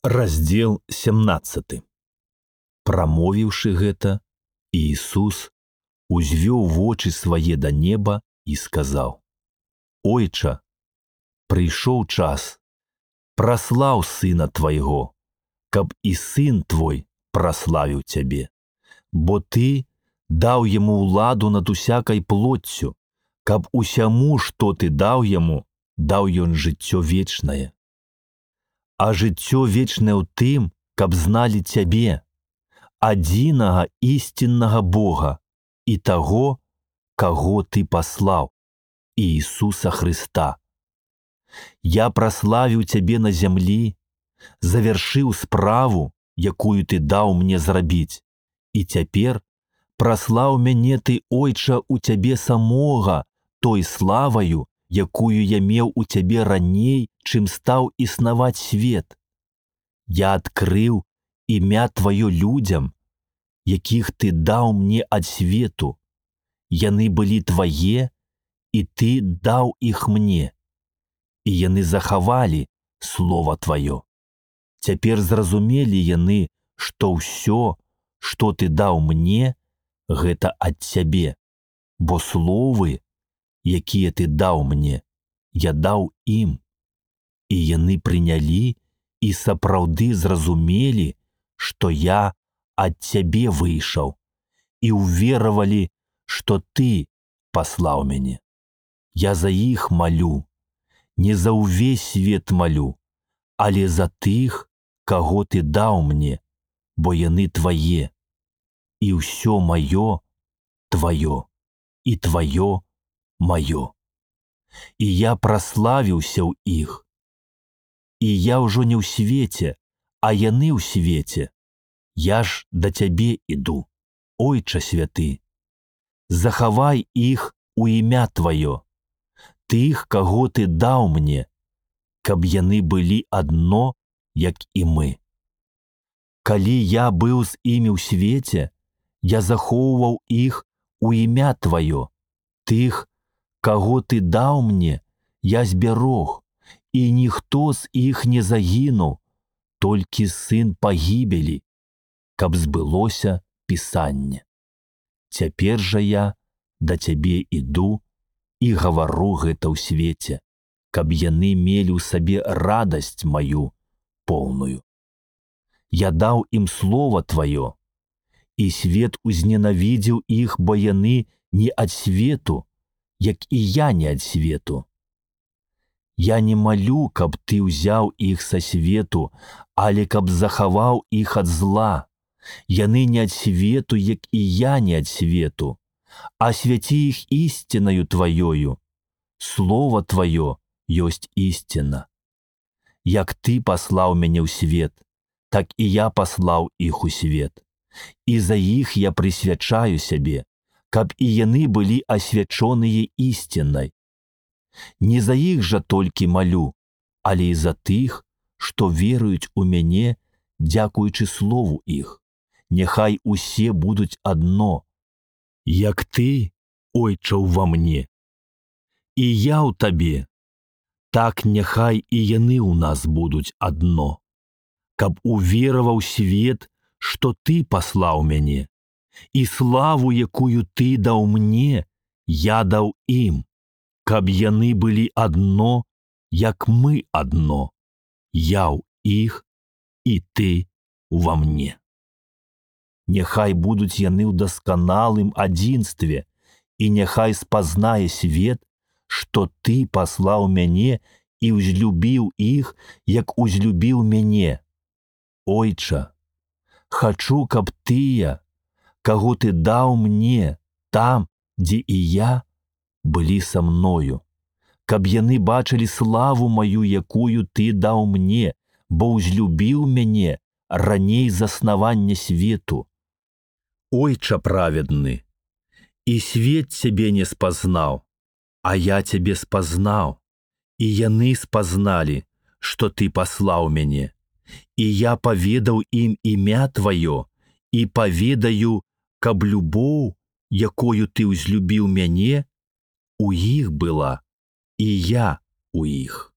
Раздзел 17. Прамовіўшы гэта, Іісус узвёў вочы свае да неба і сказаў: «Ойча, прыйшоў час, праслаў Сына Твайго, каб і Сын Твой праславіў Цябе, бо Ты даў Яму ўладу над усякай плоццю, каб усяму, што Ты даў Яму, даў Ён жыццё вечнае. А жыццё вечнае ў тым, каб зналі Цябе, адзінага ісціннага Бога і таго, каго Ты паслаў, Іісуса Хрыста. Я праславіў Цябе на зямлі, завяршыў справу, якую Ты даў мне зрабіць, і цяпер праслаў мяне Ты, Ойча, у Цябе самога той славаю, якую я меў у Цябе раней, чым стаў існаваць свет. Я адкрыў імя Тваё людзям, якіх Ты даў мне ад свету. Яны былі Твае, і Ты даў іх мне, і яны захавалі Слова Тваё. Цяпер зразумелі яны, што ўсё, што Ты даў мне, гэта ад Цябе, бо словы, якія Ты даў мне, я даў ім, і яны прынялі і сапраўды зразумелі, што я ад Цябе выйшаў, і ўверавалі, што Ты паслаў мяне. Я за іх малю, не за ўвесь свет малю, але за тых, каго Ты даў мне, бо яны Твае, і ўсё маё Тваё, і Тваё маё. І я праславіўся ў іх. І я ўжо не ў свеце, а яны ў свеце. Я ж да Цябе іду, Ойча святы. Захавай іх у імя Тваё, тых, каго Ты даў мне, каб яны былі адно, як і мы. Калі я быў з імі ў свеце, я захоўваў іх у імя Тваё, тых, каго Ты даў мне, я збярог, і ніхто з іх не загінуў, толькі сын пагібелі, каб збылося Пісанне. Цяпер жа я да Цябе іду і гавару гэта ў свеце, каб яны мелі ў сабе радасць маю поўную. Я даў ім Слова Тваё, і свет узненавідзеў іх, бо яны не ад свету, як і я не ад свету. Я не малю, каб Ты ўзяў іх са свету, але каб захаваў іх ад зла. Яны не ад свету, як і я не ад свету, а свяці іх ісцінаю Тваёю. Слова Тваё ёсць ісціна. Як Ты паслаў мяне ў свет, так і я паслаў іх у свет. І за іх я прысвячаю сябе, каб і яны былі асвячоныя ісцінай. Не за іх жа толькі малю, але і за тых, што веруюць у мяне, дзякуючы слову іх. Няхай усе будуць адно, як Ты, Ойча, ува мне, і я ў Табе, так няхай і яны ў нас будуць адно, каб увераваў свет, што Ты паслаў мяне, і славу, якую Ты даў мне, я даў ім, каб яны былі адно, як мы адно, я ў іх і Ты ува мне. Няхай будуць яны ў дасканалым адзінстве, і няхай спазнае свет, што Ты паслаў мяне і ўзлюбіў іх, як узлюбіў мяне. Ойча, хачу, каб тыя, каго Ты даў мне там, дзе і я, былі са мною, каб яны бачылі славу маю, якую Ты даў мне, бо ўзлюбіў мяне раней заснавання свету. Ойча праведны, і свет Цябе не спазнаў, а я Цябе спазнаў, і яны спазналі, што Ты паслаў мяне, і я паведаў ім імя Тваё, і паведаю, каб любоў, якою Ты ўзлюбіў мяне, у іх была, і я у іх.